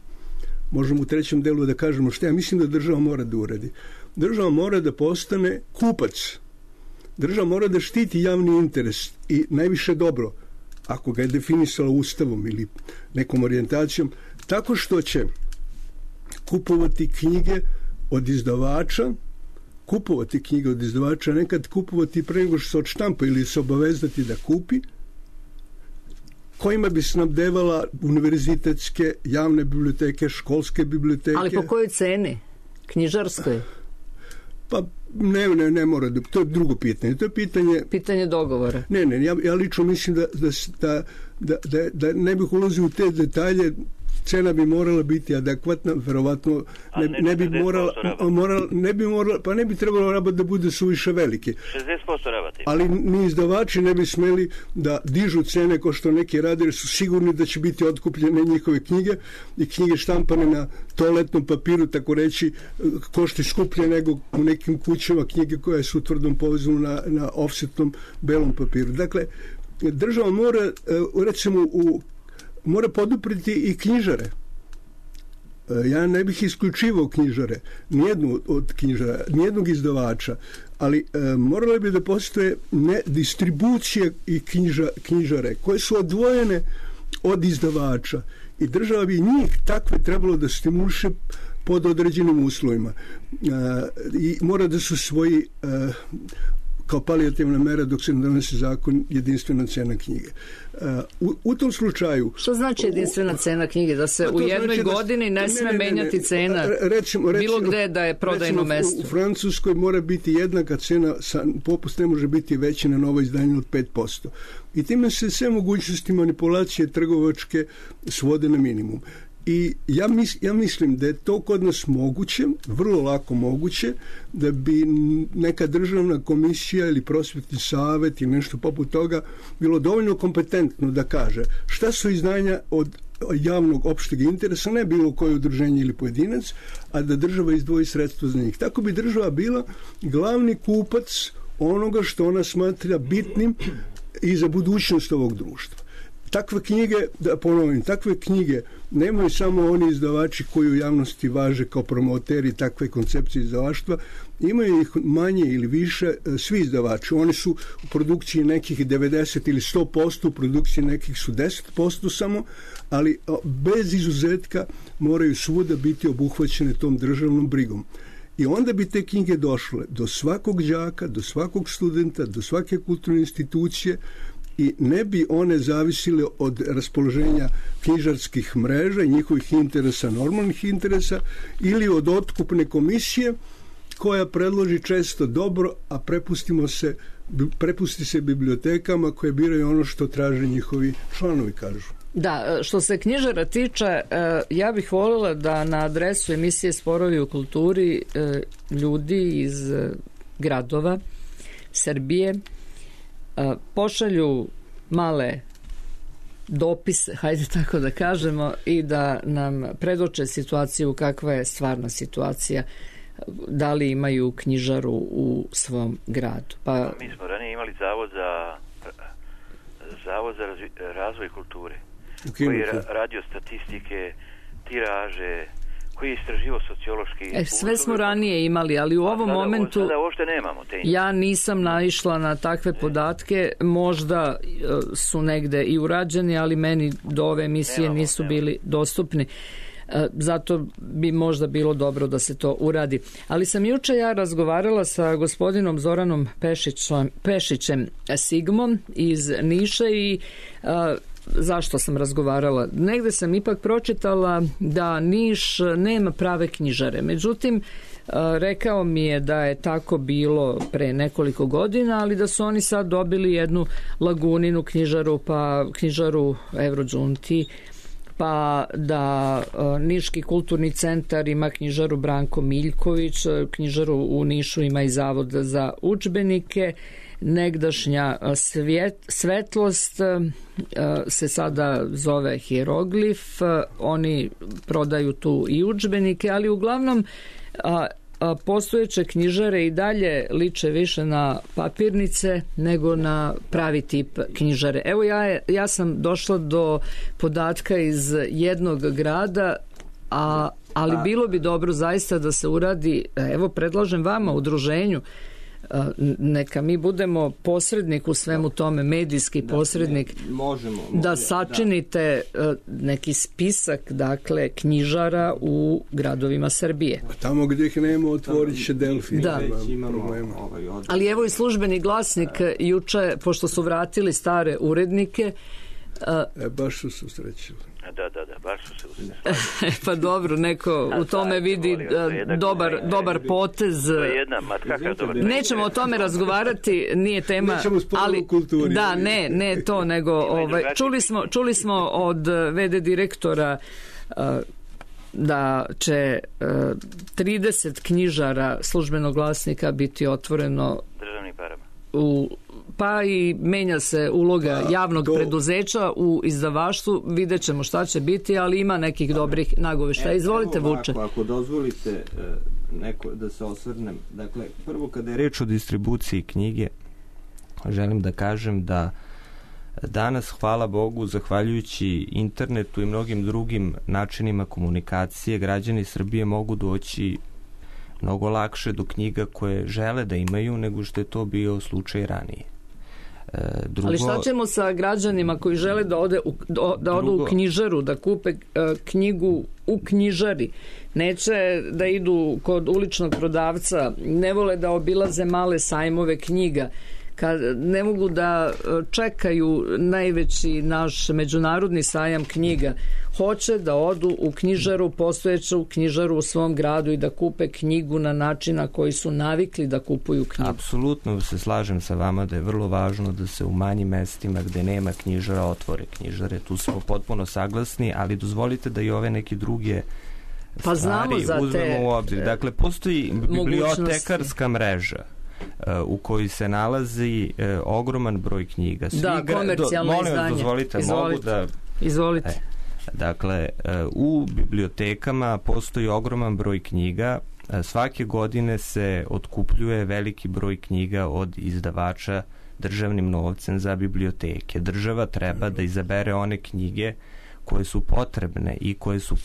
[SPEAKER 4] Možemo u trećem delu da kažemo što ja mislim da država mora da uradi. Država mora da postane kupac. Država mora da štiti javni interes i najviše dobro, ako ga je definisala ustavom ili nekom orijentacijom, tako što će kupovati knjige od izdavača, nekad kupovati pre nego što se odštampa ili se obavezati da kupi, kojima bi snabdevala univerzitetske, javne biblioteke, školske biblioteke.
[SPEAKER 3] Ali po kojoj ceni? Knjižarskoj?
[SPEAKER 4] Pa ne mora da, to je drugo pitanje. To je pitanje
[SPEAKER 3] dogovora.
[SPEAKER 4] Ne, ja lično mislim da ne bih ulazio u te detalje. Cena bi morala biti adekvatna, verovatno ne bi trebalo rabat da bude suviše veliki.
[SPEAKER 5] 60% rabati.
[SPEAKER 4] Ali ni izdavači ne bi smeli da dižu cene kao što neki rade, jer su sigurni da će biti otkupljene njihove knjige i knjige štampane na toaletnom papiru, tako reći, košti skuplje nego u nekim kućama knjige koje su tvrdom povezano na offsetnom belom papiru. Dakle, država mora, recimo, mora podupriti i knjižare. Ja ne bih isključivao knjižare, nijednog izdavača, ali morale bi da postoje distribucije i knjižare koje su odvojene od izdavača i država bi njih takve trebalo da stimuliše pod određenim uslovima. I mora da su svoji kao palijativna mera dok se ne donese zakon jedinstvena cena knjige. U tom slučaju...
[SPEAKER 3] Što znači jedinstvena cena knjige? Da se u jednoj godini ne sme menjati cena bilo gde da je prodajno mesto?
[SPEAKER 4] U Francuskoj mora biti jednaka cena, popust ne može biti veći na novo izdanje od 5%. I time se sve mogućnosti manipulacije trgovačke svode na minimum. I ja mislim da je to kod nas moguće, vrlo lako moguće, da bi neka državna komisija ili prosvetni savet ili nešto poput toga bilo dovoljno kompetentno da kaže šta su izdanja od javnog opšteg interesa, ne bilo koje udruženje ili pojedinac, a da država izdvoji sredstva za njih. Tako bi država bila glavni kupac onoga što ona smatra bitnim i za budućnost ovog društva. Takve knjige, da ponovim, takve knjige nemaju samo oni izdavači koji u javnosti važe kao promoteri takve koncepcije izdavaštva, imaju ih manje ili više svi izdavači. Oni su u produkciji nekih 90 ili 100%, u produkciji nekih su 10% samo, ali bez izuzetka moraju svuda biti obuhvaćene tom državnom brigom. I onda bi te knjige došle do svakog đaka, do svakog studenta, do svake kulturne institucije i ne bi one zavisile od raspoloženja knjižarskih mreža i njihovih interesa, normalnih interesa, ili od otkupne komisije koja predloži često dobro, a prepusti se bibliotekama koje biraju ono što traže njihovi članovi, kažu.
[SPEAKER 3] Da, što se knjižara tiče, ja bih voljela da na adresu emisije Sporovi u kulturi ljudi iz gradova Srbije pošalju male dopise, hajde tako da kažemo, i da nam predoče situaciju kakva je stvarna situacija, da li imaju knjižaru u svom gradu. Pa
[SPEAKER 5] mi smo ranije imali zavod za razvoj kulture, koji je radio statistike, tiraže, koji je istraživao sociološki...
[SPEAKER 3] sve smo ranije imali, ali u ovom momentu
[SPEAKER 5] sada uopšte nemamo te.
[SPEAKER 3] Ja nisam naišla na takve podatke, možda su negde i urađeni, ali meni do ove emisije nisu bili dostupni. Zato bi možda bilo dobro da se to uradi. Ali sam juče ja razgovarala sa gospodinom Zoranom Pešićem Sigmom iz Niša i zašto sam razgovarala? Negde sam ipak pročitala da Niš nema prave knjižare. Međutim, rekao mi je da je tako bilo pre nekoliko godina, ali da su oni sad dobili jednu Laguninu knjižaru, pa knjižaru Evrodžunti, pa da Niški kulturni centar ima knjižaru Branko Miljković, knjižaru u Nišu ima i Zavod za udžbenike, negdašnja Svetlost se sada zove Hieroglif, oni prodaju tu i udžbenike, ali uglavnom postojeće knjižare i dalje liče više na papirnice nego na pravi tip knjižare. Evo ja sam došla do podatka iz jednog grada, ali bilo bi dobro zaista da se uradi, evo predlažem vama, udruženju, neka mi budemo posrednik u svemu tome, medijski posrednik, da sačinite neki spisak, dakle, knjižara u gradovima Srbije.
[SPEAKER 4] Tamo gdje ih nema, otvorit će Delfi.
[SPEAKER 3] Da. Ali evo i Službeni glasnik juče, pošto su vratili stare urednike,
[SPEAKER 4] baš su se usrećili.
[SPEAKER 5] Da, baš su se usrećili.
[SPEAKER 3] Pa dobro, neko u tome vidi dobar potez. Nećemo o tome razgovarati, nije tema.
[SPEAKER 4] Nećemo sporo o kulturi.
[SPEAKER 3] Da, ne to, nego čuli smo od VD direktora da će 30 knjižara Službenog glasnika biti otvoreno
[SPEAKER 5] državnim parama.
[SPEAKER 3] Pa i menja se uloga javnog preduzeća u izdavaštvu, vidjet ćemo šta će biti, ali ima nekih dobrih nagoveštaja. Izvolite, Vuče.
[SPEAKER 6] Ako dozvolite da se osvrnem. Dakle, prvo kada je reč o distribuciji knjige, želim da kažem da danas, hvala Bogu, zahvaljujući internetu i mnogim drugim načinima komunikacije, građani Srbije mogu doći mnogo lakše do knjiga koje žele da imaju nego što je to bio slučaj ranije.
[SPEAKER 3] Ali šta ćemo sa građanima koji žele da odu u knjižaru, da kupe knjigu u knjižari? Neće da idu kod uličnog prodavca, ne vole da obilaze male sajmove knjiga, kad ne mogu da čekaju najveći naš međunarodni sajam knjiga. Hoće da odu u knjižaru, postojeću knjižaru u svom gradu i da kupe knjigu na način na koji su navikli da kupuju knjigu.
[SPEAKER 6] Apsolutno se slažem sa vama da je vrlo važno da se u manjim mestima gde nema knjižara otvore knjižare. Tu smo potpuno saglasni, ali dozvolite da i ove neke druge stvari uzmemo u obzir. Dakle, postoji bibliotekarska mreža u kojoj se nalazi ogroman broj knjiga.
[SPEAKER 3] Komercijalno izdanje. Izvolite.
[SPEAKER 6] Dakle, u bibliotekama postoji ogroman broj knjiga. Svake godine se otkupljuje veliki broj knjiga od izdavača državnim novcem za biblioteke. Država treba da izabere one knjige koje su potrebne i koje su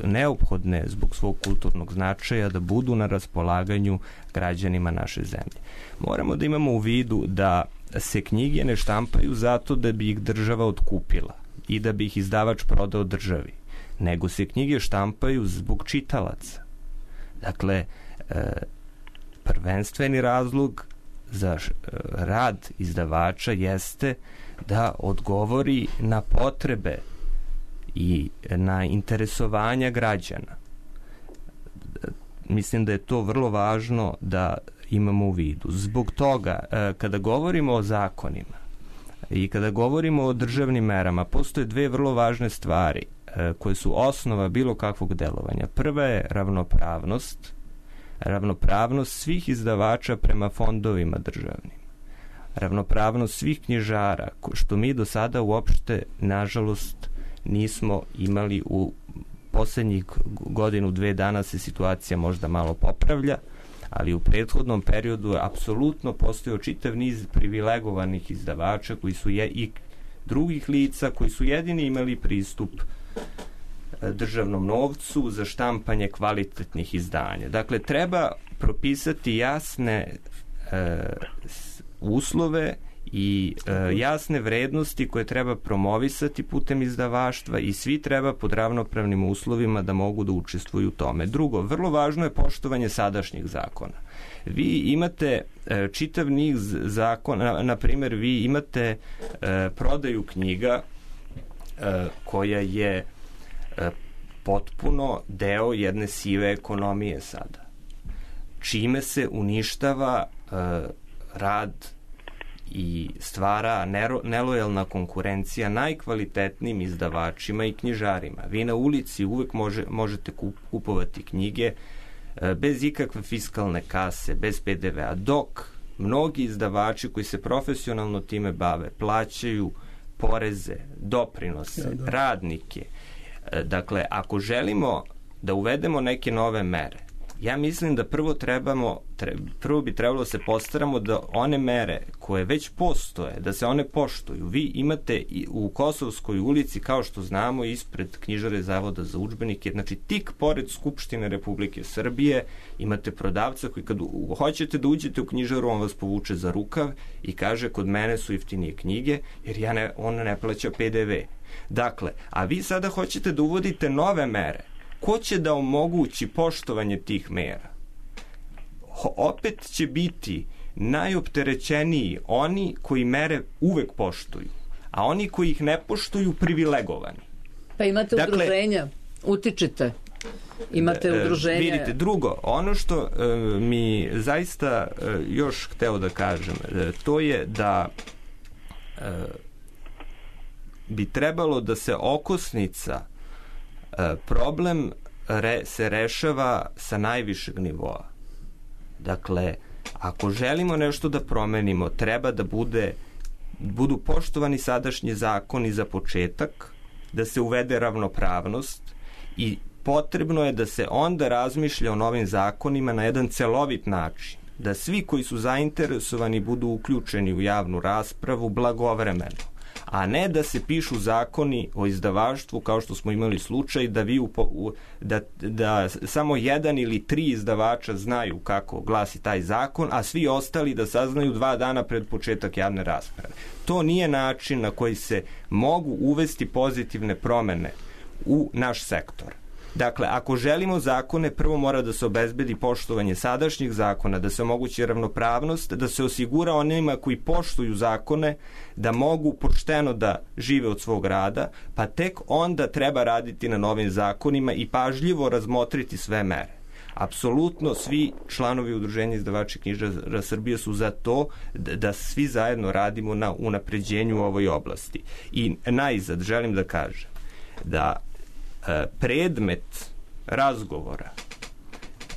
[SPEAKER 6] neophodne zbog svog kulturnog značaja da budu na raspolaganju građanima naše zemlje. Moramo da imamo u vidu da se knjige ne štampaju zato da bi ih država otkupila i da bi ih izdavač prodao državi, nego se knjige štampaju zbog čitalaca. Dakle, prvenstveni razlog za rad izdavača jeste da odgovori na potrebe i na interesovanja građana. Mislim da je to vrlo važno da imamo u vidu. Zbog toga, kada govorimo o zakonima i kada govorimo o državnim merama, postoje dve vrlo važne stvari koje su osnova bilo kakvog delovanja. Prva je ravnopravnost svih izdavača prema fondovima državnim. Ravnopravnost svih knjižara, što mi do sada uopšte, nažalost, nismo imali u poslednjih godinu, dve dana se situacija možda malo popravlja, ali u prethodnom periodu je apsolutno postojao čitav niz privilegovanih izdavača koji su i drugih lica koji su jedini imali pristup državnom novcu za štampanje kvalitetnih izdanja. Dakle, treba propisati jasne uslove i jasne vrednosti koje treba promovisati putem izdavaštva i svi treba pod ravnopravnim uslovima da mogu da učestvuju u tome. Drugo, vrlo važno je poštovanje sadašnjih zakona. Vi imate čitav niz zakona, na primjer, vi imate prodaju knjiga koja je potpuno deo jedne sive ekonomije sada, čime se uništava rad i stvara nelojalna konkurencija najkvalitetnijim izdavačima i knjižarima. Vi na ulici uvek možete kupovati knjige bez ikakve fiskalne kase, bez PDV-a, dok mnogi izdavači koji se profesionalno time bave plaćaju poreze, doprinose, radnike. Dakle, ako želimo da uvedemo neke nove mere, ja mislim da prvo bi trebalo se postaramo da one mere koje već postoje, da se one poštuju. Vi imate u Kosovskoj ulici, kao što znamo, ispred knjižare Zavoda za udžbenike, znači tik pored Skupštine Republike Srbije, imate prodavca koji kad hoćete da uđete u knjižaru, on vas povuče za rukav i kaže kod mene su jeftinije knjige, jer on ne plaća PDV. Dakle, a vi sada hoćete da uvodite nove mere. Ko će da omogući poštovanje tih mera? Opet će biti najopterećeniji oni koji mere uvek poštuju, a oni koji ih ne poštuju privilegovani.
[SPEAKER 3] Pa imate udruženja, utičite. Imate udruženja.
[SPEAKER 6] Vidite, drugo, ono što mi zaista još hteo da kažem, to je da bi trebalo da se okosnica problem se rešava sa najvišeg nivoa. Dakle, ako želimo nešto da promenimo, treba da budu poštovani sadašnji zakoni za početak, da se uvede ravnopravnost i potrebno je da se onda razmišlja o novim zakonima na jedan celovit način. Da svi koji su zainteresovani budu uključeni u javnu raspravu blagovremeno, a ne da se pišu zakoni o izdavaštvu kao što smo imali slučaj da samo jedan ili 3 izdavača znaju kako glasi taj zakon, a svi ostali da saznaju 2 dana pred početak javne rasprave. To nije način na koji se mogu uvesti pozitivne promene u naš sektor. Dakle, ako želimo zakone, prvo mora da se obezbedi poštovanje sadašnjih zakona, da se omogući ravnopravnost, da se osigura onima koji poštuju zakone da mogu pošteno da žive od svog rada, pa tek onda treba raditi na novim zakonima i pažljivo razmotriti sve mere. Apsolutno svi članovi Udruženja izdavača knjižara Srbije su za to da svi zajedno radimo na unapređenju u ovoj oblasti. I najzad želim da kažem da predmet razgovora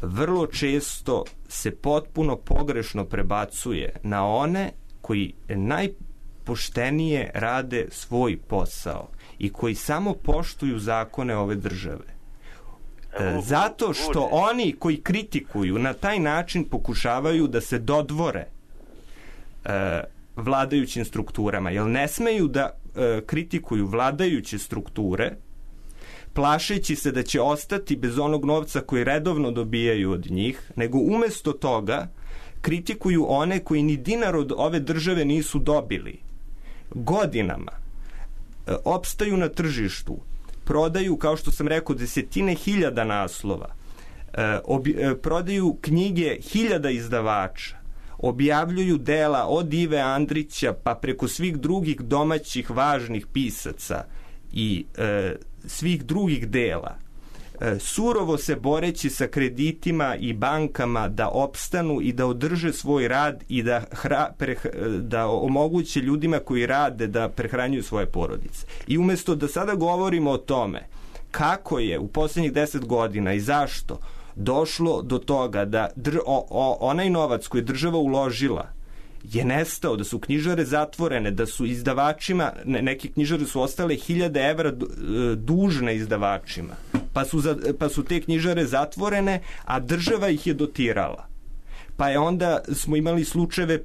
[SPEAKER 6] vrlo često se potpuno pogrešno prebacuje na one koji najpoštenije rade svoj posao i koji samo poštuju zakone ove države. Zato što oni koji kritikuju na taj način pokušavaju da se dodvore vladajućim strukturama, jer ne smeju da kritikuju vladajuće strukture, plašeći se da će ostati bez onog novca koji redovno dobijaju od njih, nego umesto toga kritikuju one koji ni dinar od ove države nisu dobili. Godinama opstaju na tržištu, prodaju, kao što sam rekao, desetine hiljada naslova, prodaju knjige hiljada izdavača, objavljuju dela od Ive Andrića pa preko svih drugih domaćih važnih pisaca i svih drugih dela, surovo se boreći sa kreditima i bankama da opstanu i da održe svoj rad i da omoguće ljudima koji rade da prehranjuju svoje porodice. I umesto da sada govorimo o tome kako je u posljednjih 10 godina i zašto došlo do toga da onaj novac koji je država uložila je nestao, da su knjižare zatvorene, da su izdavačima, neke knjižare su ostale 1000 evra dužne izdavačima, pa su te knjižare zatvorene, a država ih je dotirala. Pa je onda smo imali slučajeve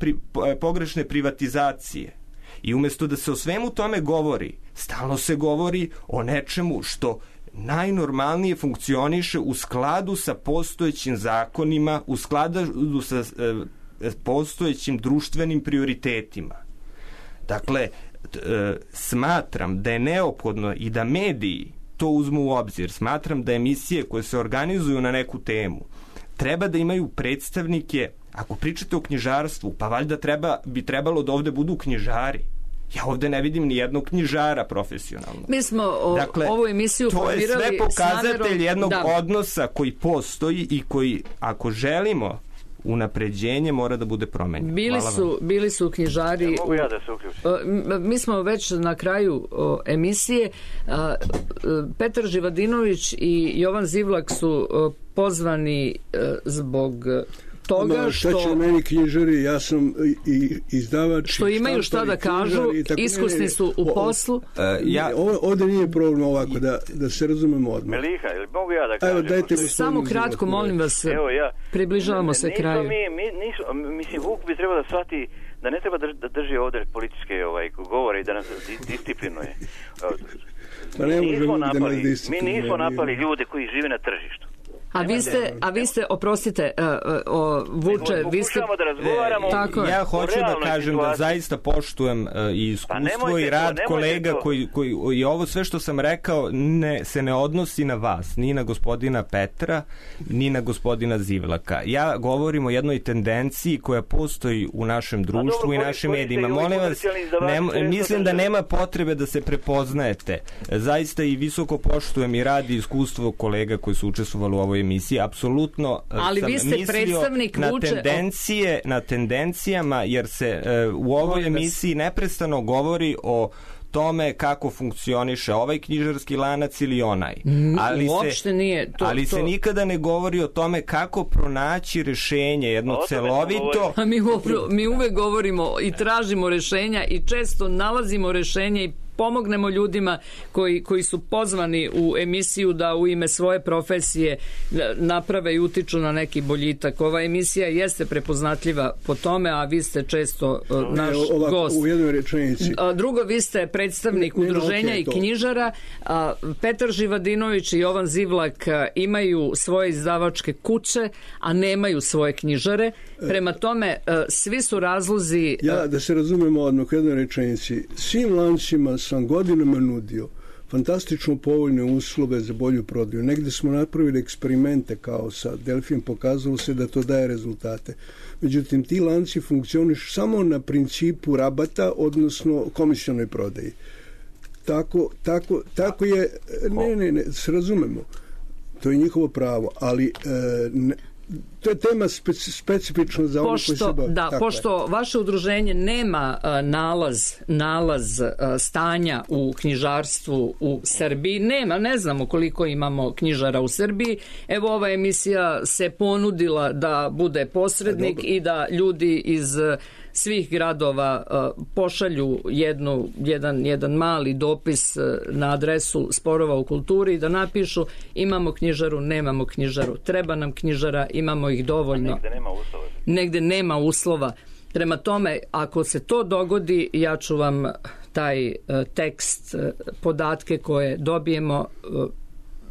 [SPEAKER 6] pogrešne privatizacije. I umesto da se o svemu tome govori, stalno se govori o nečemu što najnormalnije funkcioniše u skladu sa postojećim zakonima, u skladu sa postojećim društvenim prioritetima. Dakle, smatram da je neophodno i da mediji to uzmu u obzir. Smatram da emisije koje se organizuju na neku temu treba da imaju predstavnike. Ako pričate o knjižarstvu, pa valjda bi trebalo da ovde budu knjižari. Ja ovde ne vidim ni jednog knjižara profesionalno.
[SPEAKER 3] Mi smo ovu emisiju formirali. To je sve pokazatelj jednog
[SPEAKER 6] odnosa koji postoji i koji, ako želimo unapređenje, mora da bude promenjen.
[SPEAKER 3] Bili su knjižari.
[SPEAKER 5] Mogu ja da se uključim?
[SPEAKER 3] Mi smo već na kraju emisije. Petar Živadinović i Jovan Zivlak su pozvani zbog toga
[SPEAKER 4] šta će meni knjižari, ja sam i izdavač,
[SPEAKER 3] što imaju šta da kažu, iskusni su u poslu.
[SPEAKER 4] Ovdje nije problem ovako, da se razumemo odmah.
[SPEAKER 5] Meliha, ili mogu ja da kažem?
[SPEAKER 4] Evo, dajte
[SPEAKER 3] samo kratko, molim vas, približavamo se kraju.
[SPEAKER 5] Mislim, Vuk bi trebao da shvati da ne treba da drži ovdje političke govore i da nas disciplinuje. Mi nismo napali ljude koji žive na tržištu.
[SPEAKER 3] A vi ste, oprostite, Vuče, vi ste...
[SPEAKER 5] Pokušamo da razgovaramo...
[SPEAKER 6] Ja hoću da kažem da zaista poštujem i iskustvo i rad kolega koji i ovo sve što sam rekao se ne odnosi na vas, ni na gospodina Petra, ni na gospodina Zivlaka. Ja govorim o jednoj tendenciji koja postoji u našem društvu i našim medijima. Molim vas, mislim da nema potrebe da se prepoznajete. Zaista i visoko poštujem i rad i iskustvo kolega koji su učestvovali u ovoj emisiji. Apsolutno sam mislio na tendencijama, jer se u ovoj emisiji neprestano govori o tome kako funkcioniše ovaj knjižarski lanac ili onaj. Ali se nikada ne govori o tome kako pronaći rešenje, jedno celovito...
[SPEAKER 3] Mi uvek govorimo i tražimo rešenja i često nalazimo rešenja i pomognemo ljudima koji su pozvani u emisiju da u ime svoje profesije naprave i utiču na neki boljitak. Ova emisija jeste prepoznatljiva po tome, a vi ste često naš gost.
[SPEAKER 4] U jednoj rečenici.
[SPEAKER 3] Drugo, vi ste predstavnik udruženja i knjižara. Petar Živadinović i Jovan Zivlak imaju svoje izdavačke kuće, a nemaju svoje knjižare. Prema tome, svi su razlozi...
[SPEAKER 4] Ja, da se razumemo odmah u jednoj rečenici, svim lancima sam godinama nudio fantastično povoljne uslove za bolju prodaju. Negde smo napravili eksperimente kao sa Delfijem, pokazalo se da to daje rezultate. Međutim, ti lanci funkcionišu samo na principu rabata, odnosno komisionoj prodaji. Tako je... Ne, se razumemo. To je njihovo pravo, ali... to je tema specifična za ono koji se bavi.
[SPEAKER 3] Pošto vaše udruženje nema nalaz stanja u knjižarstvu u Srbiji, ne znamo koliko imamo knjižara u Srbiji, evo ova emisija se ponudila da bude posrednik i da ljudi iz svih gradova pošalju jedan mali dopis na adresu Sporova u kulturi i da napišu imamo knjižaru, nemamo knjižaru, treba nam knjižara, imamo ih dovoljno. Negde nema uslova. Prema tome, ako se to dogodi, ja ću vam taj tekst, podatke koje dobijemo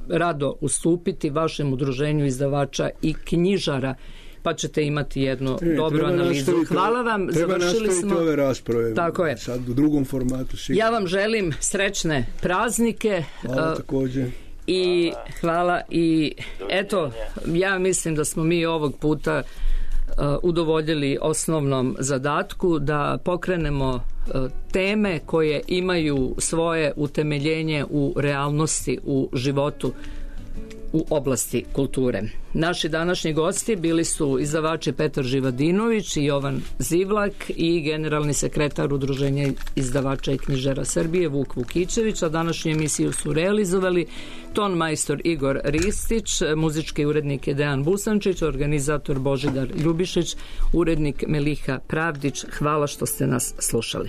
[SPEAKER 3] rado ustupiti vašem udruženju izdavača i knjižara, pa ćete imati jednu dobru analizu. Hvala vam, završili smo
[SPEAKER 4] ove rasprave.
[SPEAKER 3] Tako je.
[SPEAKER 4] Sad u drugom formatu. Sigurno.
[SPEAKER 3] Ja vam želim srećne praznike.
[SPEAKER 4] Hvala također.
[SPEAKER 3] I hvala i eto, ja mislim da smo mi ovog puta udovoljili osnovnom zadatku da pokrenemo teme koje imaju svoje utemeljenje u realnosti, u životu u oblasti kulture. Naši današnji gosti bili su izdavači Petar Živadinović i Jovan Zivlak i generalni sekretar Udruženja izdavača i knjižara Srbije Vuk Vukićević, a današnju emisiju su realizovali ton majstor Igor Ristić, muzički urednik je Dejan Busančić, organizator Božidar Ljubišić, urednik Meliha Pravdić. Hvala što ste nas slušali.